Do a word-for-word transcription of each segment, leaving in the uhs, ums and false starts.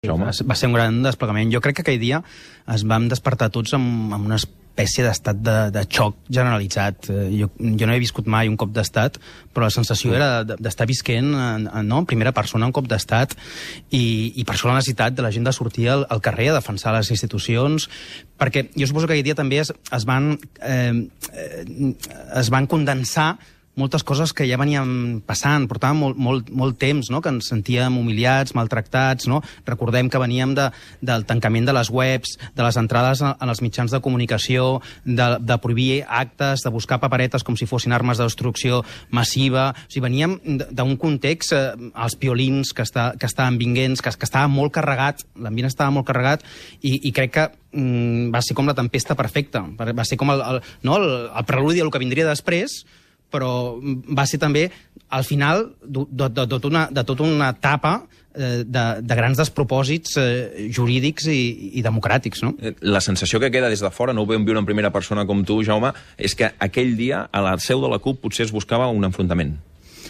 Va, va ser un gran desplegament. Jo crec que aquell dia es vam despertar tots amb, amb una espècie d'estat de, de xoc generalitzat. Jo, jo no he viscut mai un cop d'estat, però la sensació era d'estar visquent en, en, no, en primera persona un cop d'estat i, i per això la necessitat de la gent de sortir al, al carrer a defensar les institucions, perquè jo suposo que aquell dia també es, es, van, eh, es van condensar moltes coses que ja veníem passant, portàvem molt, molt, molt temps, no?, que ens sentíem humiliats, maltractats, no? Recordem que veníem de, del tancament de les webs, de les entrades en els mitjans de comunicació, de, de prohibir actes, de buscar paperetes com si fossin armes de destrucció massiva. O sigui, veníem d'un context, eh, els piolins que, està, que estaven vinguents, que, que estava molt carregat, l'ambient estava molt carregat, i, i crec que mm, va ser com la tempesta perfecta. Va ser com el, el, no, el, el preludi del que vindria després, però va ser també, al final, de, de, de, tota, una, de tota una etapa eh, de, de grans despropòsits eh, jurídics i, i democràtics, no? La sensació que queda des de fora, no ho vam viure en primera persona com tu, Jaume, és que aquell dia, a la seu de la CUP, potser es buscava un enfrontament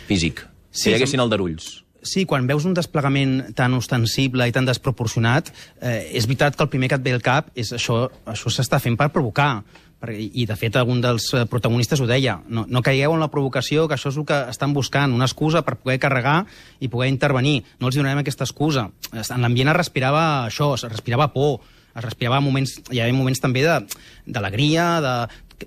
físic. Sí, si hi haguessin aldarulls. Sí, quan veus un desplegament tan ostensible i tan desproporcionat, eh, és veritat que el primer que et ve al cap és això, això s'està fent per provocar. I, de fet, algun dels protagonistes ho deia. No, no caigueu en la provocació, que això és el que estan buscant, una excusa per poder carregar i poder intervenir. No els donarem aquesta excusa. En l'ambient es respirava això, es respirava por, es respirava moments, hi havia moments també d'alegria, de,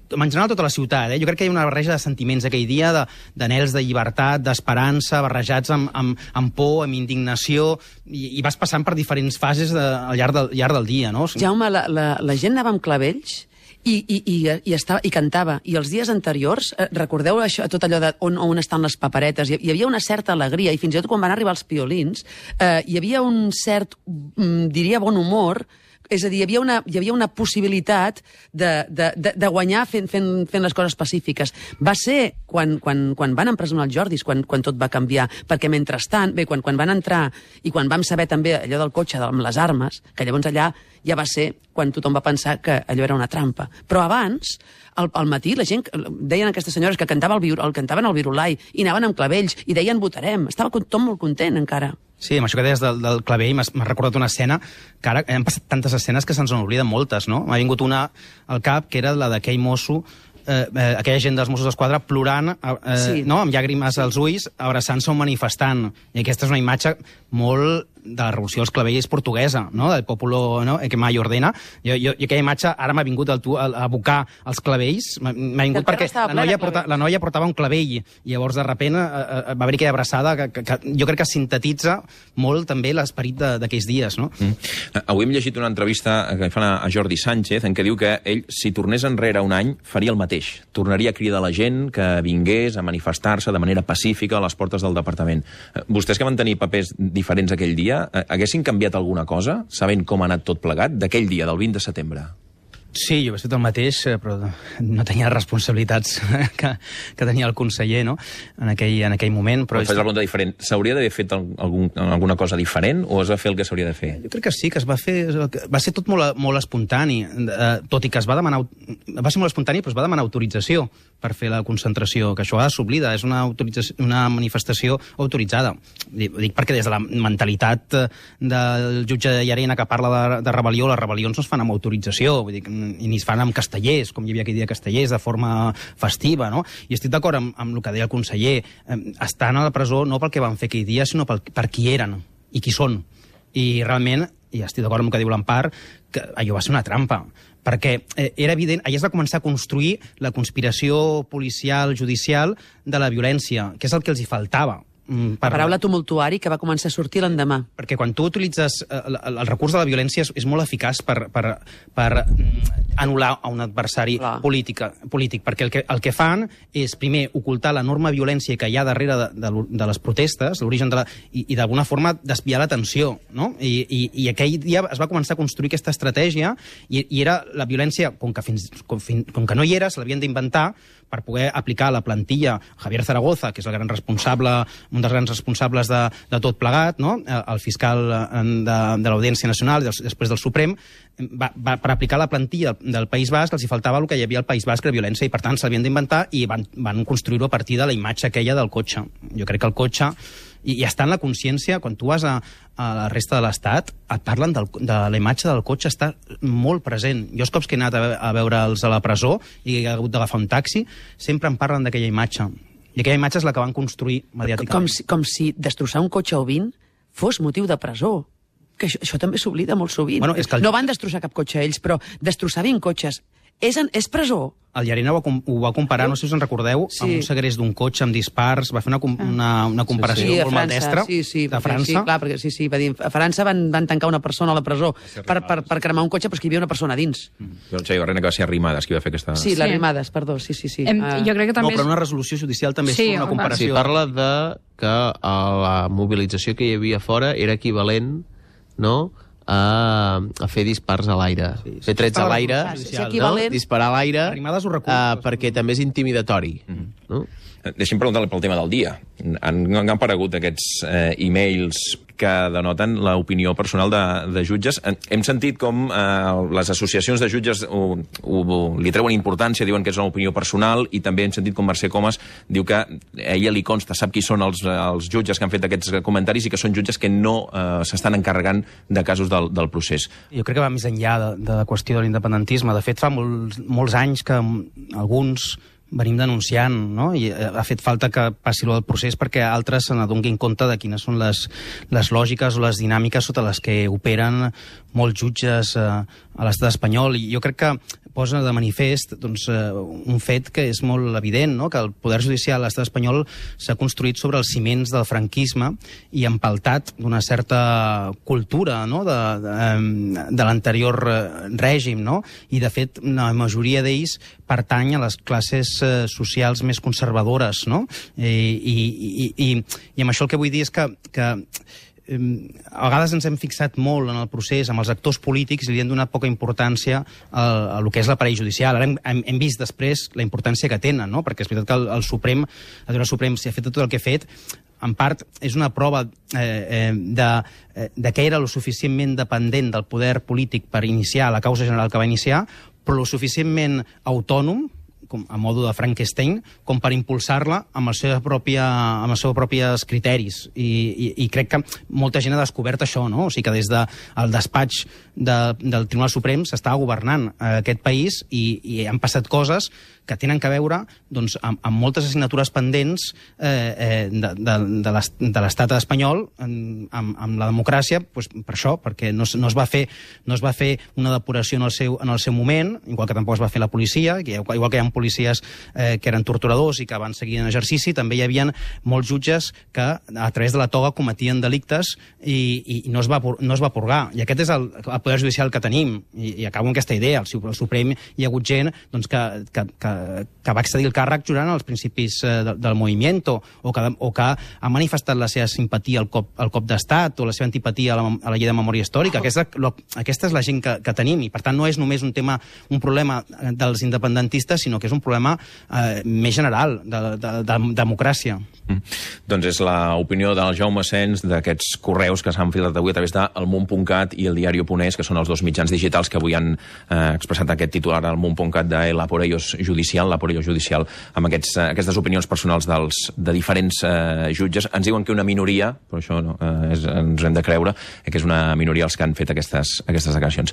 en general tota la ciutat. Eh? Jo crec que hi ha una barreja de sentiments aquell dia, d'anhels de, de llibertat, d'esperança, barrejats amb, amb, amb por, amb indignació, i, i vas passant per diferents fases de, al llarg del, llarg del dia. No? Jaume, la, la, la gent anava amb clavells I, i, i, i, estava, i cantava. I els dies anteriors, eh, recordeu això, tot allò de on, on estan les paperetes? Hi, hi havia una certa alegria, i fins i tot quan van arribar els piolins, eh, hi havia un cert, mm, diria, bon humor. És a dir, hi havia una, hi havia una possibilitat de, de, de, de guanyar fent, fent, fent les coses pacífiques. Va ser quan, quan, quan van empresonar els Jordis, quan, quan tot va canviar, perquè mentrestant, bé, quan, quan van entrar i quan vam saber també allò del cotxe amb les armes, que llavors allà ja va ser quan tothom va pensar que allò era una trampa. Però abans, al, al matí, la gent, deien aquestes senyores que cantava el, el, cantaven el virulai i anaven amb clavells i deien votarem. Estava tothom molt content encara. Sí, amb això que deies del, del clavell m'ha recordat una escena que ara han passat tantes escenes que se'ns n'obliden moltes, no? M'ha vingut una al cap, que era la d'aquell mosso, eh, eh, aquella gent dels Mossos d'Esquadra plorant, eh, sí. no? amb llàgrimes als ulls, abraçant-se un manifestant. I aquesta és una imatge molt de la revolució dels clavells portuguesa, no? Del populo, no? Que mai ordena. Jo, jo, i aquella imatge ara m'ha vingut a abocar els clavells, m'ha vingut perquè la noia, porta, la noia portava un clavell, i llavors de repent eh, va haver aquella abraçada que, que, que jo crec que sintetitza molt també l'esperit d'aquells dies, no? Mm. Avui hem llegit una entrevista que fan a Jordi Sánchez en què diu que ell, si tornés enrere un any, faria el mateix. Tornaria a cridar a la gent que vingués a manifestar-se de manera pacífica a les portes del departament. Vostès que van tenir papers diferents aquell dia, haguessin canviat alguna cosa, sabent com ha anat tot plegat, d'aquell dia, del vint de setembre? Sí, jo he fet el mateix, però no tenia les responsabilitats que, que tenia el conseller, no?, en aquell, en aquell moment. Però faig la pregunta diferent. S'hauria d'haver fet algun, alguna cosa diferent o es va fer el que s'hauria de fer? Jo crec que sí, que es va fer... Va ser tot molt, molt espontani, tot i que es va demanar... Va ser molt espontani, però es va demanar autorització per fer la concentració, que això s'oblida, és una, una manifestació autoritzada. Dic perquè des de la mentalitat del jutge Llarena que parla de, de rebel·lió, les rebel·lions no es fan amb autorització, vull dir, i ni es fan amb castellers, com hi havia aquell dia castellers, de forma festiva, no? I estic d'acord amb, amb el que deia el conseller. Estan a la presó no pel que van fer aquell dia, sinó pel, per qui eren i qui són. I realment, i estic d'acord amb el que diu l'Empar, que allò va ser una trampa, perquè era evident, allà es va començar a construir la conspiració policial, judicial, de la violència, que és el que els hi faltava. Per... La paraula tumultuari que va començar a sortir l'endemà. Perquè quan tu utilitzes el, el recurs de la violència és, és molt eficaç per, per, per anul·lar a un adversari polític, polític, perquè el que, el que fan és, primer, ocultar l'enorme violència que hi ha darrere de, de, de les protestes, l'origen de la... i, i d'alguna forma desviar l'atenció, no? I, i, I aquell dia es va començar a construir aquesta estratègia i, i era la violència, com que, fins, com, com que no hi era, se l'havien d'inventar per poder aplicar la plantilla Javier Zaragoza, que és el gran responsable, un dels grans responsables de, de tot plegat, no? El fiscal de, de l'Audiència Nacional, després del Suprem, va, va, per aplicar la plantilla del País Basc els hi faltava el que hi havia al País Basc, que era violència, i per tant s'havien d'inventar i van, van construir-ho a partir de la imatge aquella del cotxe. Jo crec que el cotxe I, i està en la consciència, quan tu vas a, a la resta de l'Estat, et parlen del, de la imatge del cotxe, està molt present. Jo els cops que he anat a, a veure'ls a la presó i he hagut d'agafar un taxi, sempre em parlen d'aquella imatge. I aquella imatge és la que van construir mediàticament. Com si, com si destrossar un cotxe o vint fos motiu de presó. Que això, això també s'oblida molt sovint. Bueno, és que el... No van destrossar cap cotxe ells, però destrossar vint cotxes és, en, és presó. El Llarena ho, ho va comparar, no sé si us en recordeu, sí. amb un segrest d'un cotxe amb dispars, va fer una, una, una comparació sí, sí, molt maldestra sí, sí, de França. Sí, clar, perquè sí, sí, va dir, a França van, van tancar una persona a la presó per, per, per cremar un cotxe, però és que hi havia una persona dins. Mm. Jo no sé, Llarena, que va ser Arrimadas qui va fer aquesta... Sí, l'Arrimades, perdó, sí, sí. sí. Em, uh... jo crec que també... No, però una resolució judicial també sí, és una comparació. Sí, parla de que la mobilització que hi havia fora era equivalent, no?, a, a fer dispars a l'aire. Sí, fer trets a l'aire, no? Disparar a l'aire, uh, perquè també és intimidatori. Mm-hmm. No? Deixi'm preguntar-li pel tema del dia. Han, han aparegut aquests eh, e-mails que denoten l'opinió personal de, de jutges. Hem sentit com eh, les associacions de jutges ho, ho, li treuen importància, diuen que és una opinió personal, i també hem sentit com Mercè Comas diu que a ella li consta, sap qui són els, els jutges que han fet aquests comentaris i que són jutges que no eh, s'estan encarregant de casos del, del procés. Jo crec que va més enllà de, de la qüestió de l'independentisme. De fet, fa molts, molts anys que alguns venim denunciant, no? I ha fet falta que passi el procés perquè altres se n'adonguin compte de quines són les, les lògiques o les dinàmiques sota les que operen molts jutges eh, a l'estat espanyol. I jo crec que posa de manifest doncs, eh, un fet que és molt evident, no? Que el poder judicial a l'estat espanyol s'ha construït sobre els ciments del franquisme i empaltat d'una certa cultura, no? de, de, de l'anterior règim, no? I de fet la majoria d'ells pertany a les classes eh, socials més conservadores, no? I, i, i, i, i amb això el que vull dir és que, que a vegades ens hem fixat molt en el procés amb els actors polítics i li hem donat poca importància a, a lo que és l'aparell judicial. Ara hem, hem vist després la importància que tenen, no? Perquè és veritat que el, el Suprem, el Tribunal Suprem, si ha fet tot el que ha fet, en part és una prova eh, eh, de, eh, de que era lo suficientment dependent del poder polític per iniciar la causa general que va iniciar, però lo suficientment autònom, com, a modo de Frankenstein, com per impulsar-la amb, el seu pròpia, amb els seus propis criteris. I, i, I crec que molta gent ha descobert això, no? O sigui que des del de, despatx de, del Tribunal Suprem s'està governant eh, aquest país i, i han passat coses que tenen a veure doncs, amb, amb moltes assignatures pendents eh, eh, de, de, de l'estat espanyol amb, amb la democràcia, doncs, per això, perquè no, no, es va fer, no es va fer una depuració en el, seu, en el seu moment, igual que tampoc es va fer la policia, que, igual que hi ha policies eh, que eren torturadors i que van seguir en exercici, també hi havia molts jutges que a través de la toga cometien delictes i, i no, es va, no es va purgar. I aquest és el, el poder judicial que tenim. I, i acabo amb aquesta idea. Al, al Suprem hi ha hagut gent doncs, que, que, que que va accedir al càrrec jurant als principis eh, de, del moviment o que, o que ha manifestat la seva simpatia al cop, al cop d'estat o la seva antipatia a la, a la llei de memòria històrica. Aquesta, lo, aquesta és la gent que, que tenim i, per tant, no és només un tema, un problema dels independentistes, sinó que és un problema eh, més general de, de, de, de democràcia. Mm. Doncs és l'opinió del Jaume Sens d'aquests correus que s'han filat avui a través del Munt punt cat i el Diario.es, que són els dos mitjans digitals que avui han eh, expressat aquest titular al Munt punt cat de la por ellos judicial, la por ellos judicial, amb aquests, eh, aquestes opinions personals dels, de diferents eh, jutges. Ens diuen que una minoria, però això no, eh, és, ens hem de creure, que és una minoria els que han fet aquestes, aquestes declaracions.